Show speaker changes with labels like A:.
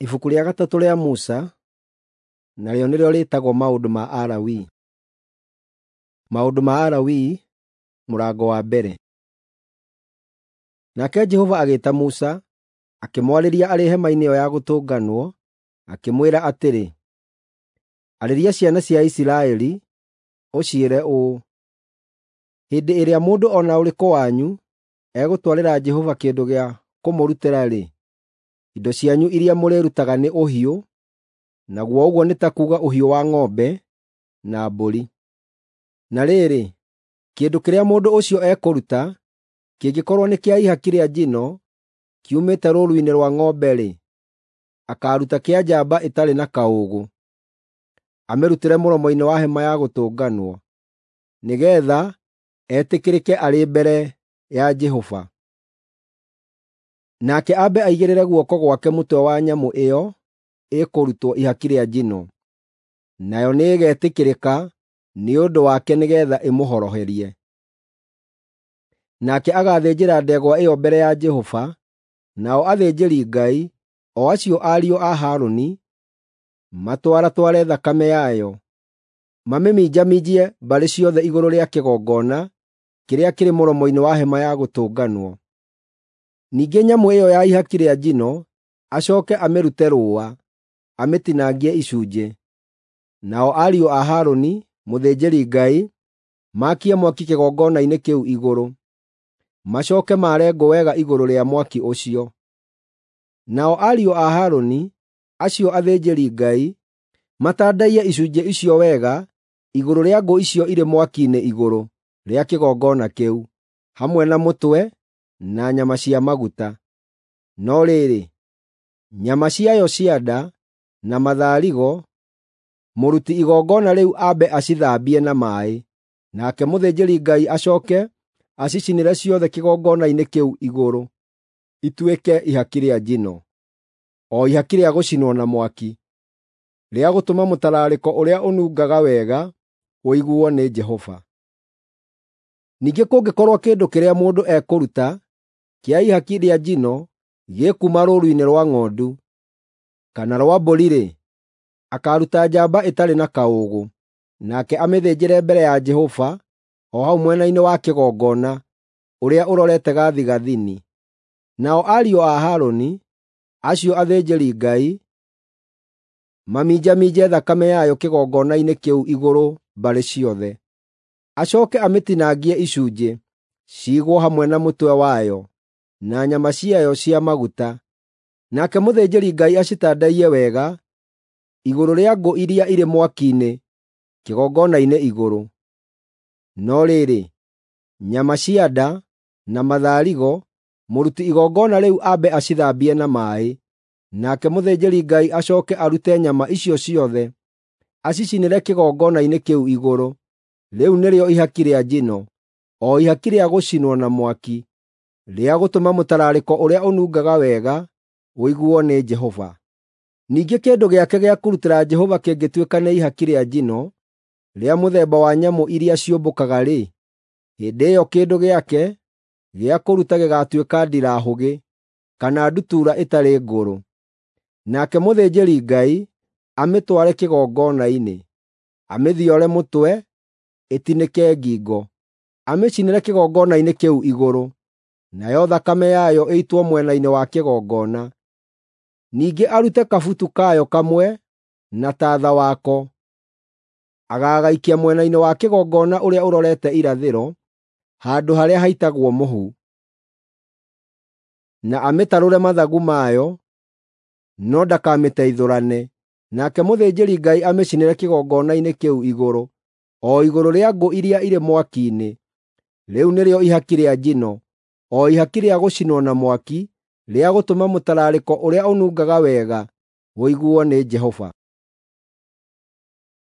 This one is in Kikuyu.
A: Ibuku rĩa gatatũ rĩa Musa, narĩo nĩrĩo rĩĩtagwo Maũndũ ma Alawii. Maũndũ ma Alawii mũrango wa mbere. Nake Jehova agĩĩta Musa, akĩmwarĩria arĩ hema-inĩ ĩyo ya Gũtũnganwo, akĩmwĩra atĩrĩ, “Arĩria ciana cia Isiraeli, ũciĩre ũũ: ‘Hĩndĩ ĩrĩa mũndũ o na ũrĩkũ wanyu egũtwarĩra Jehova kĩndũ gĩa kũmũrutĩra-rĩ, indo cianyu iria mũrĩrutaga nĩ ũhiũ, naguo ũguo nĩ ta kuuga ũhiũ wa ng'ombe na mbũri. Na rĩrĩ, kĩndũ kĩrĩa mũndũ ũcio ekũruta kĩngĩkorwo nĩ kĩa ihaki rĩa njino kiumĩte rũũru-inĩ rwa ng'ombe-rĩ, akaaruta kĩa njamba ĩtarĩ na kaũũgũ, amĩrutĩre mũromo-inĩ wa Hema-ya-Gũtũnganwo, nĩgeetha etĩkĩrĩke arĩ mbere ya Jehova. Nake ambe aigĩrĩre guoko gwake mũtwe wa nyamũ ĩyo ĩkũrutwo ihaki rĩa njino, nayo nĩĩgetĩkĩrĩka nĩ ũndũ wake nĩgeetha ĩmũhoroherie. Nake agaathĩnjĩra ndegwa ĩyo mbere ya Jehova, nao athĩnjĩri-Ngai, o acio ariũ a Harũni, matwaratware thakame yayo, mamĩminjaminjie mbarĩ ciothe igũrũ rĩa kĩgongona kĩrĩa kĩrĩ mũromo-inĩ wa Hema-ya-Gũtũnganwo. Ningĩ nyamũ ĩyo ya ihaki rĩa njino acooke amĩrute rũũa, amĩtinangie icunjĩ. Nao ariũ a Harũni, mũthĩnjĩri-Ngai, maakie mwaki kĩgongona-inĩ kĩu igũrũ, macooke maare ngũ wega igũrũ rĩa mwaki ũcio. Nao ariũ a Harũni, acio athĩnjĩri-Ngai, matandaiye icunjĩ icio wega igũrũ rĩa ngũ icio irĩ mwaki-inĩ igũrũ rĩa kĩgongona kĩu, hamwe na mũtwe na nyama cia maguta. No rĩrĩ, nyama ciayo cia nda na matharigo, mũruti igongona rĩu ambe acithambie na maaĩ, nake mũthĩnjĩri-Ngai acooke acicinĩre ciothe kĩgongona-inĩ kĩu igũrũ, ituĩke ihaki rĩa njino, o ihaki rĩa gũcinwo na mwaki, rĩa gũtũma mũtararĩko ũrĩa ũnungaga wega ũiguo nĩ Jehova. Ningĩ kũngĩkorwo kĩndũ kĩrĩa mũndũ ekũruta kĩa ihaki rĩa njino gĩkuuma rũũru-inĩ rwa ng'ondu kana rwa mbũri-rĩ, akaaruta njamba ĩtarĩ na kaũũgũ, nake amĩthĩnjĩre mbere ya Jehova o hau mwena-inĩ wa kĩgongona ũrĩa ũrorete gathigathini. Nao ariũ a Harũni, acio athĩnjĩri-Ngai, maminjaminje thakame yayo kĩgongona-inĩ kĩu igũrũ mbarĩ ciothe. Acooke amĩtinangie icunjĩ, ciigwo hamwe na mũtwe wayo na nyama ciayo cia maguta. Nake mũthĩnjĩri-Ngai acitandaiye wega igũrũ rĩa ngũ iria irĩ mwaki-inĩ kĩgongona-inĩ igũrũ. No rĩrĩ, nyama cia nda na matharigo, mũruti igongona rĩu ambe acithambie na maaĩ, nake mũthĩnjĩri-Ngai acooke arute nyama icio ciothe, acicinĩre kĩgongona-inĩ kĩu igũrũ. Rĩu nĩrĩo ihaki rĩa njino, o ihaki rĩa gũcinwo na mwaki, rĩa gũtũma mũtararĩko ũrĩa ũnungaga wega ũiguo nĩ Jehova. Ningĩ kĩndũ gĩake gĩa kũrutĩra Jehova kĩngĩtuĩka nĩ ihaki rĩa njino rĩa mũthemba wa nyamũ iria ciũmbũkaga-rĩ, hĩndĩ ĩyo kĩndũ gĩake gĩa kũruta gĩgaatuĩka ndirahũgĩ kana ndutura ĩtarĩ ngũrũ. Nake mũthĩnjĩri-Ngai amĩtware kĩgongona-inĩ, amĩthiore mũtwe ĩtinĩke ngingo, amĩcinĩre kĩgongona-inĩ kĩu igũrũ, nayo thakame yayo ĩitwo mwena-inĩ wa kĩgongona. Ningĩ arute kabutu kayo kamwe na tatha wako, agagaikia mwena-inĩ wa kĩgongona ũrĩa ũrorete irathĩro, handũ harĩa haitagwo mũhu. Na amĩtarũre mathagu mayo, no ndakamĩteithũrane. Nake mũthĩnjĩri-Ngai amĩcinĩre kĩgongona-inĩ kĩu igũrũ, o igũrũ rĩa ngũ iria irĩ mwaki-inĩ. Rĩu nĩrĩo ihaki rĩa njino, o ihaki rĩa gũcinwo na mwaki, rĩa gũtũma mũtararĩko ũrĩa ũnungaga wega ũiguo nĩ Jehova.